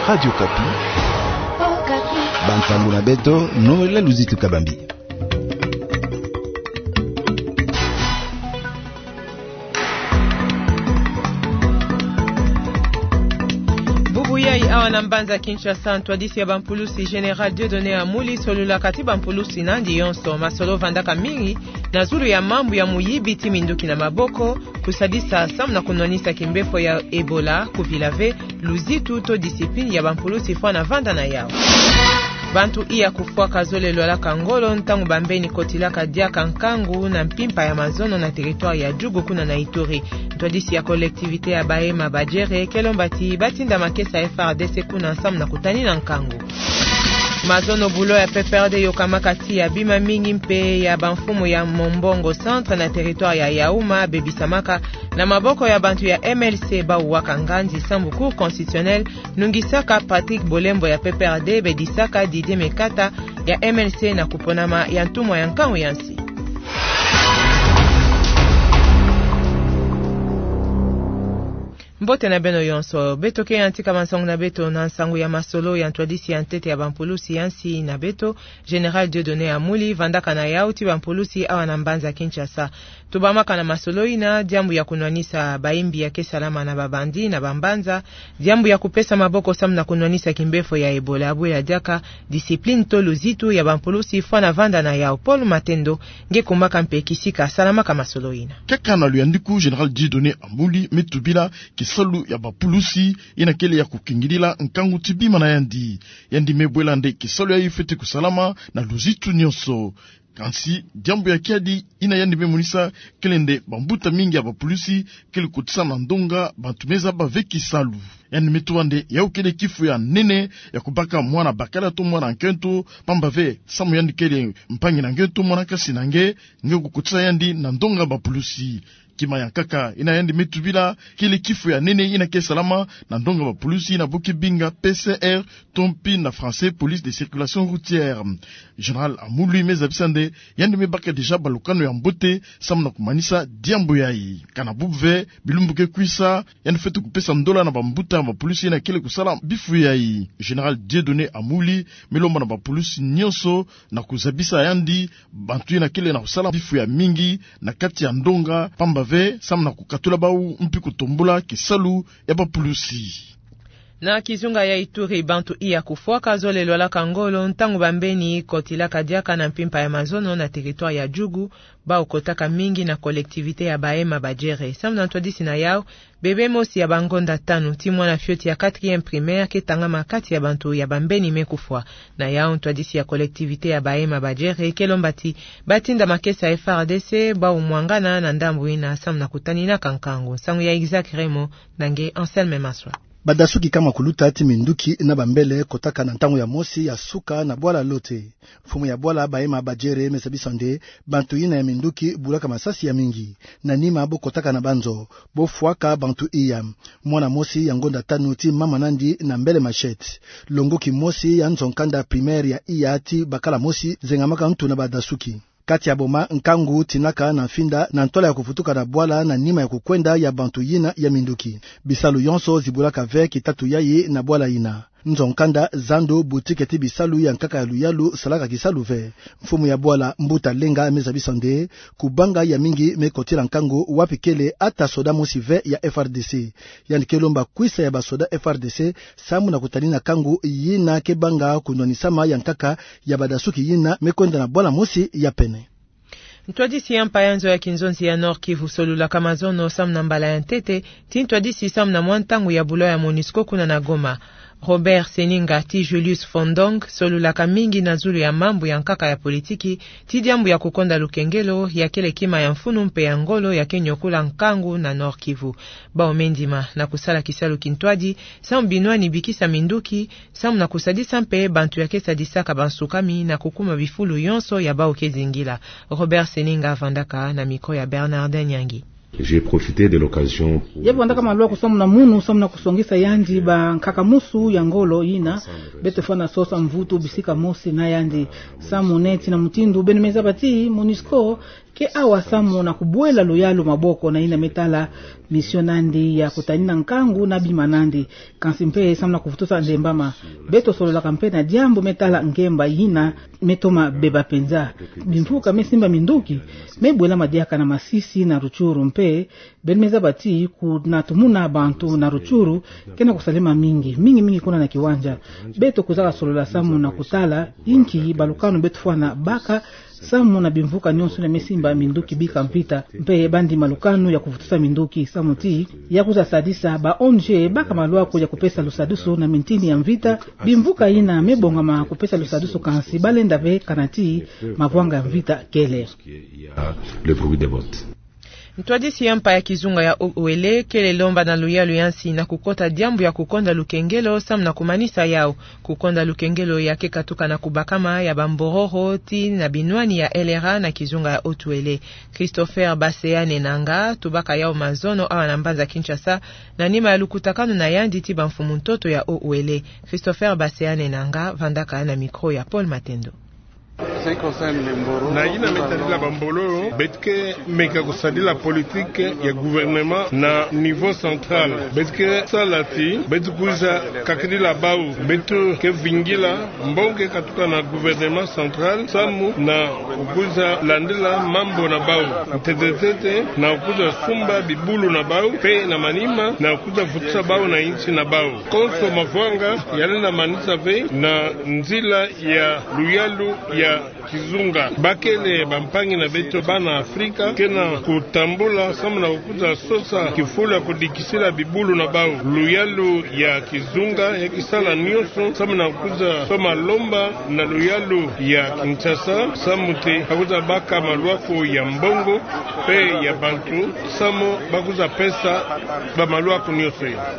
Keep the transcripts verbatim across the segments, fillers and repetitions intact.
Radio Okapi. Bansango na beto, Noël Luzitu Kabambi. Bubu yai awa na mbanza Kinshasa, ntwadisi ya bampulusi Général Dieudonné Amuli solulaka ti bampulusi nandi yonso. Masolo vandaka mingi na zulu ya mambu ya muyibi ti minduki na maboko, kusadisa samu na kunwanisa kimbefo ya Ebola, kuvila ve luzitu to discipline ya bampulusi fwana vanda na yau. Bantu iya kufwaka zole lwalaka ngolo ntangu bambeni kotilaka diaka nkangu na mpimpa ya mazono na territoire ya Djugu kuna na Ituri. Ntwadisi ya collectivité ya Bahema Badjere ke lomba ti batinda makesa ya F R D C kuna samu na kutanina nkangu. Mazono bulo ya P P R D yokamaka ti ya bima mingi mpe ya bamfumu ya Mombongo Centre na territoire ya Yaouma bebisamaka na maboko ya bantu ya M L C. Bau waka nganzi sambu Cour constitutionnelle nungisaka Patrick Bolembo ya P P R D bedisaka Didier Mekata ya M L C na kuponama ya ntumwa ya nkangu ya nsi. Mbote na beno yonso. Beto ke yantika bansango na beto na nsango ya masolo ya ntwadisi ya ntete ya bampulusi ya nsi na beto, Général Dieudonné Amuli, vandaka na yau ti bampulusi awa na mbanza Kinshasa. Tubamaka na masolo ina, diambu ya kunwanisa bayimbi ya ke salama na babandi na bambanza, diambu ya kupesa maboko samu na kunwanisa kimbefo ya Ebola, bwela diaka discipline to luzitu ya bampulusi fwana vanda na yau. Paul Matendo nge kumbaka mpe kisika salamaka masolo ina. Kaka na luyandiku, Général Dieudonné Amuli me tubila kisalu ya bapulusi ina kele ya kukingidila nkangu ti bima na yandi. Yandi me bwela nde kisalu yayi fweti kusalama na luzitu nyonso. Kansi diambu ya kiadi ina yandi me monisa kele nde bambuta mingi ya bapulusi kele kotisa na ndonga bantu me zaba ve kisalu. Yandi me tuba nde yau kele kifu ya nene ya kubaka mwana bakala to mwana nkento, pamba ve samu yandi kele mpangi na nge to mwana kasi na nge, nge kukotisa yandi na ndonga bapulusi. Kima ya nkaka ina yandi me tubila kele kifu ya nene ina ke salama na ndonga bapulusi ina bo ke binga P C R, to mpi na français police de circulation routière. Général Amuli me zabisa nde yandi me baka déjà balukanu ya mbote samu na kumanisa diambu yayi. Kana bubu ve, bilumbu ke kwisa, yandi fweti kupesa ndola na bambuta ya bapulusi ina kele kusala bifu yayi. Général Dieudonné Amuli me lomba na bapulusi nyonso na kuzabisa yandi bantu ina kele na kusala bifu ya mingi na kati ya ndonga, pamba ve samu na kukatula bau mpi kutombula kisalu ya bapulusi. Na kizunga ya Ituri, bantu iya kufwaka zole lwalaka ngolo ntangu bambeni kotilaka diaka na mpimpa ya mazono na territoire ya Djugu, bau kotaka mingi na collectivité ya Bahema Badjere. Samu na ntwadisi na yau, bebe mosi ya bangonda tanu ti mwana fioti ya quatrième primaire ke tangama kati ya bantu ya bambeni me kufwa. Na yau, ntwadisi ya collectivité ya Bahema Badjere ke lomba ti batinda makesa ya F R D C, bau mwangana na ndambu ina samu na kutaninaka nkangu. Nsangu ya Isaac Remo na nge Anselme Maswa. Badasuki kama kuluta ti minduki na bambele kotaka na ntangu ya mosi ya suka na bwala Lote. Mfumu ya bwala Bahema Badjere me zabisa nde bantu ina ya minduki bulaka masasi ya mingi. Na nima bo kotaka na banzo, bo fwaka bantu iya. Mwana mosi ya ngonda tanu ti mama nandi na mbele machette. Longoki mosi ya nzo nkanda primaire ya iya ti bakala mosi zengamaka ntu na badasuki. Kati ya boma, nkangu tinaka na mfinda na ntwala ya kuvutuka na bwala na nima ya kukwenda ya bantu yina ya minduki. Bisalu yonso zibulaka ve kitatu yayi na bwala yina. Nzo nkanda, zandu, boutique ti bisalu ya nkaka ya luyalu salaka kisalu ve. Mfumu ya bwala Mbuta Lenga me zabisa nde kubanga ya mingi me kotila nkangu wapi kele ata soda mosi ve ya F R D C. Yandi ke lomba kwisa ya basoda F R D C samu na kutanina nkangu yina ke banga kunwanisama ya nkaka ya badasuki yina me kwenda na bwala mosi ya pene. Ntwadisi ya mpa ya nzo ya kinzonzi ya Nord-Kivu solulaka mazono samu na mbala ya ntete ti ntwadisi samu na mwa ntangu ya bulo ya MONUSCO kuna na Goma. Robert Seninga ti Julius Fondong solulaka mingi na zulu ya mambu ya nkaka ya politiki ti diambu ya kukonda lukengelo ya kele kima ya mfunu mpe ya ngolo ya ke nyokula nkangu na Nord-Kivu. Bau me ndima na kusala kisalu kintwadi samu binwani bikisa minduki, samu na kusadisa mpe bantu ya ke sadisaka bansukami na kukuma bifulu yonso ya bau ke zingila. Robert Seninga vandaka na micro ya Bernardin Nyangi. J'ai profité de l'occasion pour... Ye vandaka maluaku samu na munu, samu na kusongisa yandi bankaka mosi ya ngolo yina beto fwana sosa mvutu bisika mosi na yandi. Samu neti na mutindu beno me zaba ti MONUSCO Ke awa samu na kubwela luyalu maboko na yina me tala mission nandi ya kutanina nkangu na bima nandi. Kansi mpe samu na kuvutusa ndembama, beto sololaka mpe na diambu me tala ngemba yina me toma beba penza. Bimvuka me simba minduki me bwelama diaka na Masisi na Rutshuru mpe beno me zaba ti kuna tumona bantu na Rutshuru ke na kusalema mingi, mingi mingi kuna na Kiwanja. Beto kwizaka solola samu na kutala inki balukanu beto fwana baka samu na bimvuka nyonso yina me simba minduki bika mvita, mpe bandi malukanu ya kuvutusa minduki samu ti ya kwiza sadisa ba O N G baka malwaku ya kupesa lusadisu na mintini ya mvita. Bimvuka yina me bongama kupesa lusadisu kansi balenda ve kana ti mavwanga ya mvita kele. Le bruit des bottes. Ntwadisi ya mpa ya kizunga ya Haut-Uélé kele lomba na luyalu ya nsi na kukota diambu ya kukonda lukengelo samu na kumanisa yau. Kukonda lukengelo ya ke katuka na kubakama ya bambororo ti na binwani ya L R A na kizunga ya Haut-Uélé. Christopher Baseane Nanga tubaka yau mazono awa na mbanza Kinshasa, na nima ya lukutakanu na yandi ti bamfumu ntoto ya Haut-Uélé. Christopher Baseane Nanga vandaka na micro ya Paul Matendo. Na yina me tadila bambololo, beto ke meka kusadila politique ya gouvernement na niveau central. Beto ke sala ti beto kwiza kakidila bau, beto ke vingila mbongo ke katuka na gouvernement central samu na kwiza landila mambu na bau ntete ntete, na kwiza sumba bibulu na bau, mpe na manima na kwiza vutusa bau na insi na bau. Konso mavwanga yalenda manisa ve na nzila ya luyalu ya kizunga. Bakele bampangi na beto bana Afrika ke na kutambula samu na kwiza sosa kifulu ya kudikisila bibulu na bau. Luyalu ya kizunga ya ke sala nyonso samu na kwiza toma lomba na luyalu ya Kinshasa samu ti ba kwiza baka malwaku ya mbongo mpe ya bantu samu ba kwiza pesa bamalwaku nyonso ya.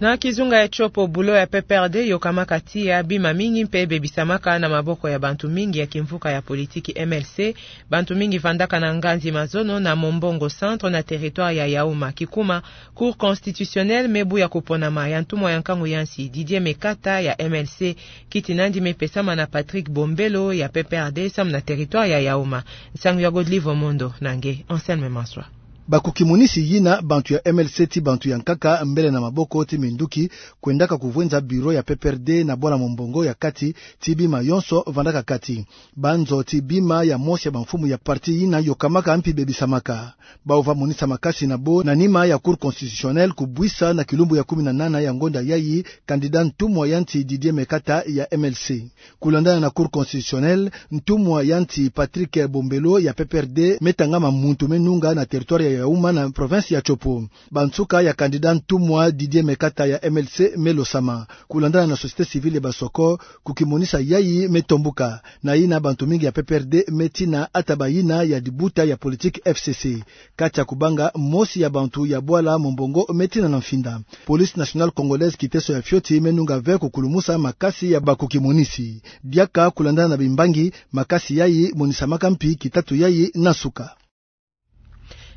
Na kizunga ya Tshopo, bulo ya P P R D yokamaka tiya bima mingi mpe bebisamaka na maboko ya bantu mingi ya kimvuka ya politiki M L C. Bantu mingi vandaka na nganzi mazono na Mombongo Centre na territoire ya Yaouma. Kikuma, Cour constitutionnelle me buya kuponama ya ntumwa ya nkangu ya nsi Didier Mekata ya M L C. Kiti nandi me pesama na Patrick Bombelo ya P P R D samu na territoire ya Yaouma. Nsangu ya Godlive Omondo na nge Anselme Manswa. Bakukimonisi yina bantu ya M L C ti bantu ya nkaka mbele na maboko ti minduki kwendaka kuvwenza bureau ya P P R D na bwala Mombongo ya kati ti bima yonso vandaka kati. Banzo ti bima ya mosi ya bamfumu ya parti yina yokamaka mpi bebisamaka. Bau va monisa makasi na bo na nima ya Cour constitutionnelle kubwisa na kilumbu ya kumi na nana ya ngonda yayi candidat ntumwa ya nti Didier Mekata ya M L C. Kulandana na Cour constitutionnelle, ntumwa ya nti Patrick Bombelo ya P P R D me tangama muntu me nunga na territoire ya Yaouma na province ya Tshopo. Bansuka ya candidat ntumwa Didier Mekata ya M L C me losama. Kulandana na société civile ya Basoko, kukimonisa yayi me tombuka. Na yina bantu mingi ya P P R D me tina ata bayina ya dibuta ya politique F C C. Kati ya kubanga, mosi ya bantu ya bwala Mombongo me tina na mfinda. Police Nationale Congolaise kiteso ya fioti me nunga ve kukulumusa makasi ya bakukimonisi. Diaka kulandana na bimbangi, makasi yayi monisamaka mpi kitatu yayi na nsuka.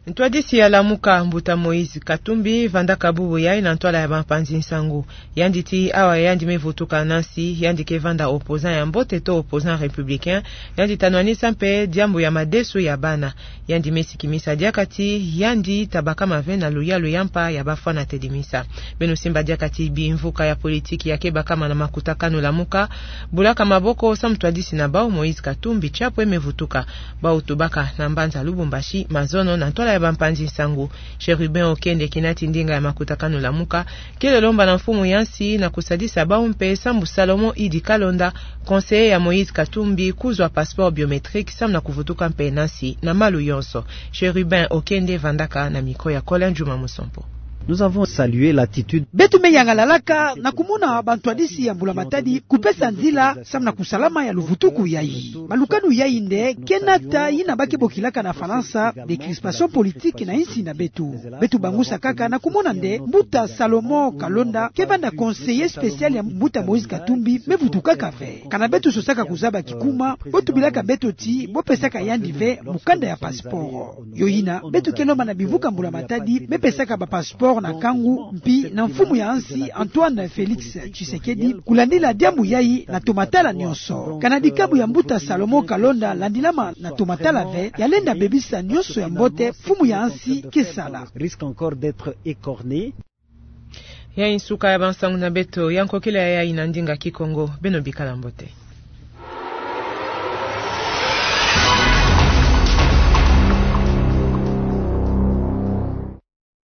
Ntwadisi ya Lamuka, mbuta Moïse Katumbi, vandaka bubu yayi na ntwala ya bampanzi nsangu. Yandi ti awa yandi me vutuka na nsi, yandi ke vanda opposant ya mbote to opposant républicain, yandi ta nwanisa mpe diambu ya madesu ya bana. Yandi me sikimisa diaka ti yandi ta bakama ve na luyalu ya mpa ya bafwana tedimisa. Beno simba diaka ti bimvuka ya politiki ya ke bakama na makutakanu Lamuka bulaka maboko samu ntwadisi na bau Moïse Katumbi Chapwe me vutuka. Bau tubaka na mbanza Lubumbashi mazono na ntwala ya bampanzi nsangu. Chérubin Okende, kinati ndinga ya makutakanu Lamuka, kele lomba na mfumu ya nsi na kusadisa bau mpe sambu Salomon Idi Kalonda, conseiller ya Moïse Katumbi, kuzwa passeport biométrique samu na kuvutuka mpe na nsi na malu yonso. Chérubin Okende vandaka na micro ya Colin Juma Musompo. Nous avons salué l'attitude. Beto me yangalalaka na kumona bantwadisi ya mbula matadi kupesa nzila samu na kusalama ya luvutuku yayi. Malukanu yayi nde ke nata yina ba ke bokilaka na Falansa décrispation politique na insi na beto. Beto bangusa kaka na kumona nde mbuta Salomon Kalonda ke vanda conseiller spécial ya mbuta Moïse Katumbi me vutukaka ve. Kana beto sosaka kuzaba kikuma, bo tubilaka beto ti bo pesaka yandi ve mukanda ya passeport. Yo yina beto ke lomba na bimvuka mbula matadi me pesaka ba passeport na kangu mpi na mfumu ya nsi Antoine Felix Tshisekedi kulandila diambu yayi na tomatala nionso. Kana dikabu ya mbuta Salomon Kalonda landilama na tomatala ve, ya lenda bebisa nionso ya mbote mfumu ya nsi ke sala. Risque encore d'être écorné. Yayi nsuka ya bansangu na beto ya nkokila yayi na ndinga Kikongo. Beno bikala mbote.